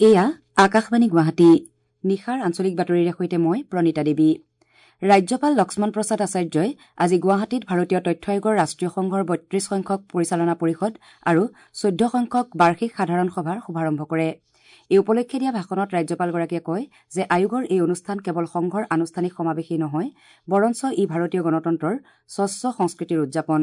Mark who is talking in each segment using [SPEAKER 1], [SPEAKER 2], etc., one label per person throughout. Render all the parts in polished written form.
[SPEAKER 1] এয়া আকাশবাণী গুৱাহাটী। নিশাৰ আঞ্চলিক বাতৰিৰে সৈতে মই প্ৰণীতা দেৱী। ৰাজ্যপাল লক্ষ্মণ প্ৰসাদ আচাৰ্যই আজি গুৱাহাটীত ভাৰতীয় তথ্য আয়োগৰ ৰাষ্ট্ৰীয় সংঘৰ ৩২ সংখ্যক পৰিচালনা পৰিষদ আৰু ১৪ সংখ্যক বাৰ্ষিক সাধাৰণ সভাৰ শুভাৰম্ভ কৰে। এই উপলক্ষে দিয়া ভাষণত ৰাজ্যপালগৰাকীয়ে কয় যে আয়োগৰ এই অনুষ্ঠান কেৱল সংঘৰ আনুষ্ঠানিক সমাৱেশেই নহয়, বৰঞ্চ ই ভাৰতীয় গণতন্ত্ৰৰ স্বচ্ছ সংস্কৃতিৰ উদযাপন।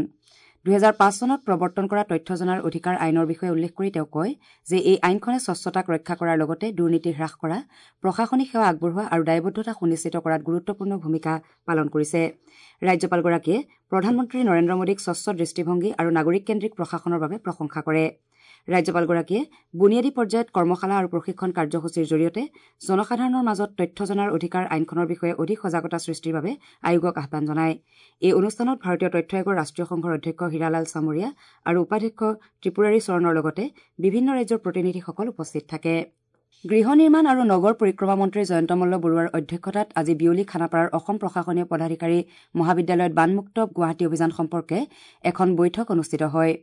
[SPEAKER 1] ২০০৫ চনত প্ৰৱৰ্তন কৰা তথ্য জনাৰ অধিকাৰ আইনৰ বিষয়ে উল্লেখ কৰি তেওঁ কয় যে এই আইনখনে স্বচ্ছতাক ৰক্ষা কৰাৰ লগতে দুৰ্নীতি হ্ৰাস কৰা, প্ৰশাসনিক সেৱা আগবঢ়োৱা আৰু দায়বদ্ধতা সুনিশ্চিত কৰাত গুৰুত্বপূৰ্ণ ভূমিকা পালন কৰিছে। ৰাজ্যপালগৰাকীয়ে প্ৰধানমন্ত্ৰী নৰেন্দ্ৰ মোদীক স্বচ্ছ দৃষ্টিভংগী আৰু নাগৰিককেন্দ্ৰিক প্ৰশাসনৰ বাবে প্ৰশংসা কৰে। ৰাজ্যপালগৰাকীয়ে বুনিয়াদী পৰ্যায়ত কৰ্মশালা আৰু প্ৰশিক্ষণ কাৰ্যসূচীৰ জৰিয়তে জনসাধাৰণৰ মাজত তথ্য জনাৰ অধিকাৰ আইনখনৰ বিষয়ে অধিক সজাগতা সৃষ্টিৰ বাবে আয়োগক আহ্বান জনায়। এই অনুষ্ঠানত ভাৰতীয় তথ্য আয়োগৰ ৰাষ্ট্ৰীয় সংঘৰ অধ্যক্ষ হীৰালাল চামৰীয়া আৰু উপাধ্যক্ষ ত্ৰিপুৰাৰী চৰণৰ লগতে বিভিন্ন ৰাজ্যৰ প্ৰতিনিধিসকল উপস্থিত থাকে। গৃহ নিৰ্মাণ আৰু নগৰ পৰিক্ৰমা মন্ত্ৰী জয়ন্ত মল্ল বৰুৱাৰ অধ্যক্ষতাত আজি বিয়লি খানাপাৰাৰ অসম প্ৰশাসনীয় পদাধিকাৰী মহাবিদ্যালয়ত বানমুক্ত গুৱাহাটী অভিযান সম্পৰ্কে এখন বৈঠক অনুষ্ঠিত হয়।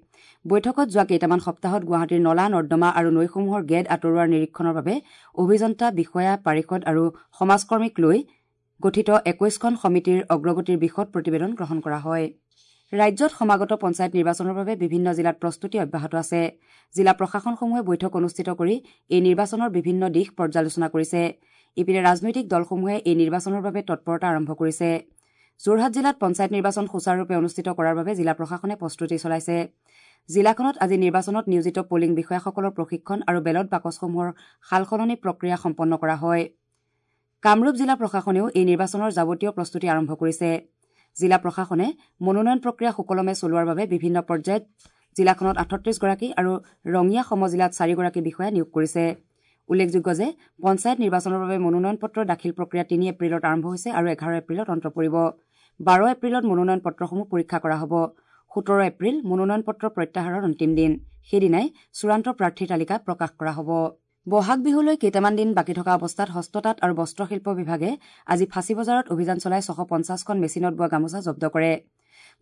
[SPEAKER 1] বৈঠকত যোৱা কেইটামান সপ্তাহত গুৱাহাটীৰ নলা, নৰ্দমা আৰু নৈসমূহৰ গেদ আঁতৰোৱাৰ নিৰীক্ষণৰ বাবে অভিযন্তা, বিষয়া, পাৰিষদ আৰু সমাজকৰ্মীক লৈ গঠিত ২১খন সমিতিৰ অগ্ৰগতিৰ বিশদ প্ৰতিবেদন গ্ৰহণ কৰা হয়। ৰাজ্যত সমাগত পঞ্চায়ত নিৰ্বাচনৰ বাবে বিভিন্ন জিলাত প্ৰস্তুতি অব্যাহত আছে। জিলা প্ৰশাসনসমূহে বৈঠক অনুষ্ঠিত কৰি এই নিৰ্বাচনৰ বিভিন্ন দিশ পৰ্যালোচনা কৰিছে। ইপিনে ৰাজনৈতিক দলসমূহে এই নিৰ্বাচনৰ বাবে তৎপৰতা আৰম্ভ কৰিছে। যোৰহাট জিলাত পঞ্চায়ত নিৰ্বাচন সুচাৰুৰূপে অনুষ্ঠিত কৰাৰ বাবে জিলা প্ৰশাসনে প্ৰস্তুতি চলাইছে। জিলাখনত আজি নিৰ্বাচনত নিয়োজিত পলিং বিষয়াসকলৰ প্ৰশিক্ষণ আৰু বেলট বাকচসমূহৰ সালসলনি প্ৰক্ৰিয়া সম্পন্ন কৰা হয়। কামৰূপ জিলা প্ৰশাসনেও এই নিৰ্বাচনৰ যাৱতীয় প্ৰস্তুতি আৰম্ভ কৰিছে। জিলা প্ৰশাসনে মনোনয়ন প্ৰক্ৰিয়া সুকলমে চলোৱাৰ বাবে বিভিন্ন পৰ্যায়ত জিলাখনত ৩৮গৰাকী আৰু ৰঙিয়া সমজিলাত ৪গৰাকী বিষয়া নিয়োগ কৰিছে। উল্লেখযোগ্য যে পঞ্চায়ত নিৰ্বাচনৰ বাবে মনোনয়ন পত্ৰ দাখিল প্ৰক্ৰিয়া ৩ এপ্ৰিলত আৰম্ভ হৈছে আৰু ১১ এপ্ৰিলত অন্ত পৰিব। ১২ এপ্ৰিলত মনোনয়ন পত্ৰসমূহ পৰীক্ষা কৰা হ'ব। ১৭ এপ্ৰিল মনোনয়ন পত্ৰ প্ৰত্যাহাৰৰ অন্তিম দিন। সেইদিনাই চূড়ান্ত প্ৰাৰ্থীৰ তালিকা প্ৰকাশ কৰা হ'ব। বহাগ বিহুলৈ কেইটামান দিন বাকী থকা অৱস্থাত হস্ততাঁত আৰু বস্ত্ৰশিল্প বিভাগে আজি ফাঁচী বজাৰত অভিযান চলাই ৬৫০খন মেচিনত বোৱা গামোচা জব্দ কৰে।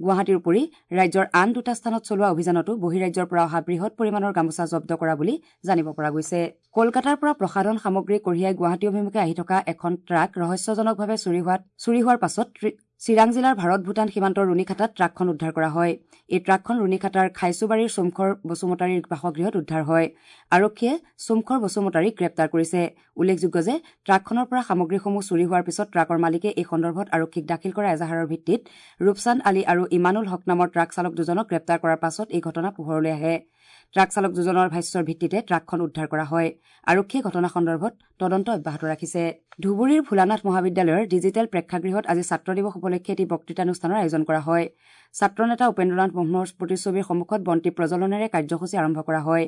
[SPEAKER 1] গুৱাহাটীৰ উপৰি ৰাজ্যৰ আন দুটা স্থানত চলোৱা অভিযানতো বহিৰাজ্যৰ পৰা অহা বৃহৎ পৰিমাণৰ গামোচা জব্দ কৰা বুলি জানিব পৰা গৈছে। কলকাতাৰ পৰা প্ৰসাধন সামগ্ৰী কঢ়িয়াই গুৱাহাটী অভিমুখে আহি থকা এখন ট্ৰাক ৰহস্যজনকভাৱে চুৰি হোৱাৰ পাছত চিৰাং জিলাৰ ভাৰত ভূটান সীমান্তৰ ৰুণীখাতাত ট্ৰাকখন উদ্ধাৰ কৰা হয়। এই ট্ৰাকখন ৰুণীখাতাৰ খাইচুবাৰীৰ চুমখৰ বসুমতাৰীৰ বাসগৃহত উদ্ধাৰ হয়। আৰক্ষীয়ে চুমখৰ বসুমতাৰীক গ্ৰেপ্তাৰ কৰিছে। উল্লেখযোগ্য যে ট্ৰাকখনৰ পৰা সামগ্ৰীসমূহ চুৰি হোৱাৰ পিছত ট্ৰাকৰ মালিকে এই সন্দৰ্ভত আৰক্ষীক দাখিল কৰা এজাহাৰৰ ভিত্তিত ৰূপচান্দ আলী আৰু ইমানুল হক নামৰ ট্ৰাক চালক দুজনক গ্ৰেপ্তাৰ কৰাৰ পাছত এই ঘটনা পোহৰলৈ আহে। ট্ৰাক চালক দুজনৰ ভাষ্যৰ ভিত্তিতে ট্ৰাকখন উদ্ধাৰ কৰা হয়। আৰক্ষীয়ে ঘটনা সন্দৰ্ভত তদন্ত অব্যাহত ৰাখিছে। ধুবুৰীৰ ভোলানাথ মহাবিদ্যালয়ৰ ডিজিটেল প্ৰেক্ষাগৃহত আজি ছাত্ৰ দিৱস উপলক্ষে এটি বক্তৃতানুষ্ঠানৰ আয়োজন কৰা হয়। ছাত্ৰ নেতা উপেন্দ্ৰনাথ ব্ৰহ্মৰ প্ৰতিচ্ছবিৰ সন্মুখত বন্তি প্ৰজ্বলনেৰে কাৰ্যসূচী আৰম্ভ কৰা হয়।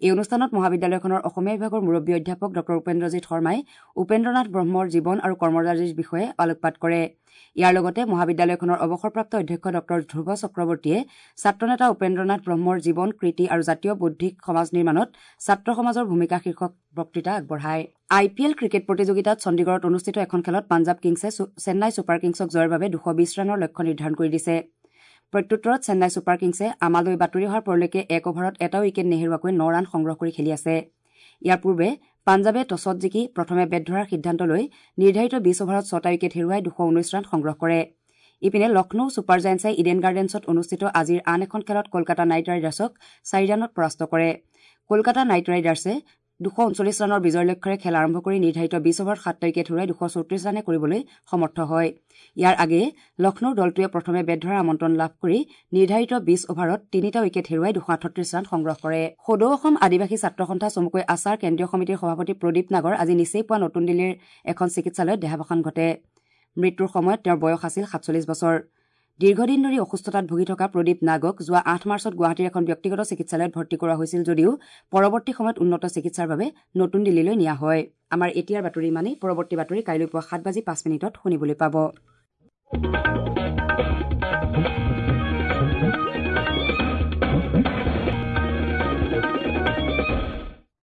[SPEAKER 1] এই অনুষ্ঠানত মহাবিদ্যালয়খনৰ অসমীয়া বিভাগৰ মুৰব্বী অধ্যাপক ডঃ উপেন্দ্ৰজিৎ শৰ্মাই উপেন্দ্ৰনাথ ব্ৰহ্মৰ জীৱন আৰু কৰ্মৰাজিৰ বিষয়ে আলোকপাত কৰে। ইয়াৰ লগতে মহাবিদ্যালয়খনৰ অৱসৰপ্ৰাপ্ত অধ্যক্ষ ডঃ ধ্ৰুৱ চক্ৰৱৰ্তীয়ে ছাত্ৰনেতা উপেন্দ্ৰনাথ ব্ৰহ্মৰ জীৱন, কৃতি আৰু জাতীয় বৌদ্ধিক সমাজ নিৰ্মাণত ছাত্ৰ সমাজৰ ভূমিকা শীৰ্ষক বক্তৃতা আগবঢ়ায়। আই পি এল ক্ৰিকেট প্ৰতিযোগিতাত চণ্ডীগড়ত অনুষ্ঠিত এখন খেলত পাঞ্জাৱ কিংছে চেন্নাই ছুপাৰ কিংছক জয়ৰ বাবে ২২০ ৰানৰ লক্ষ্য নিৰ্ধাৰণ কৰি দিছে। প্ৰত্যুত্তৰত চেন্নাই ছুপাৰ কিংছে আমালৈ বাতৰি অহাৰ পৰলৈকে এক অভাৰত এটা উইকেট নেহেৰুৱাকৈ ৯ ৰান সংগ্ৰহ কৰি খেলি আছে। ইয়াৰ পূৰ্বে পাঞ্জাৱে টছত জিকি প্ৰথমে বেট ধৰাৰ সিদ্ধান্ত লৈ নিৰ্ধাৰিত ২০ অভাৰত ৬টা উইকেট হেৰুৱাই ২১৯ ৰান সংগ্ৰহ কৰে। ইপিনে লক্ষ্ণৌ ছুপাৰ জায়েণ্টছে ইডেন গাৰ্ডেন্সত অনুষ্ঠিত আজিৰ আন এখন খেলত কলকাতা নাইট ৰাইডাৰ্ছক ৪ ৰানত পৰাস্ত কৰে। কলকাতা নাইট ৰাইডাৰ্ছে ২৩৯ ৰানৰ বিজয়ৰ লক্ষ্যৰে খেল আৰম্ভ কৰি নিৰ্ধাৰিত ২০ অভাৰত ৭টা উইকেট হেৰুৱাই ২৩৪ ৰানে কৰিবলৈ সমৰ্থ হয়। ইয়াৰ আগেয়ে লক্ষ্ণৌৰ দলটোৱে প্ৰথমে বেট ধৰাৰ আমন্ত্ৰণ লাভ কৰি নিৰ্ধাৰিত ২০ অভাৰত ৩টা উইকেট হেৰুৱাই ২৩৮ ৰান সংগ্ৰহ কৰে। সদৌ অসম আদিবাসী ছাত্ৰ সন্থা চমুকৈ আছাৰ কেন্দ্ৰীয় সমিতিৰ সভাপতি প্ৰদীপ নাগৰ আজি নিচেই পুৱা নতুন দিল্লীৰ এখন চিকিৎসালয়ত দেহাৱসান ঘটে। মৃত্যুৰ সময়ত তেওঁৰ বয়স আছিল ৪৭ বছৰ। দীৰ্ঘদিন ধৰি অসুস্থতাত ভুগি থকা প্ৰদীপ নাগক যোৱা ৮ মাৰ্চত গুৱাহাটীৰ এখন ব্যক্তিগত চিকিৎসালয়ত ভৰ্তি কৰোৱা হৈছিল যদিও পৰৱৰ্তী সময়ত উন্নত চিকিৎসাৰ বাবে নতুন দিল্লীলৈ নিয়া হয়। আমাৰ এতিয়াৰ বাতৰি ইমানেই। পৰৱৰ্তী বাতৰি কাইলৈ পুৱা ৭:০৫ শুনিবলৈ পাব।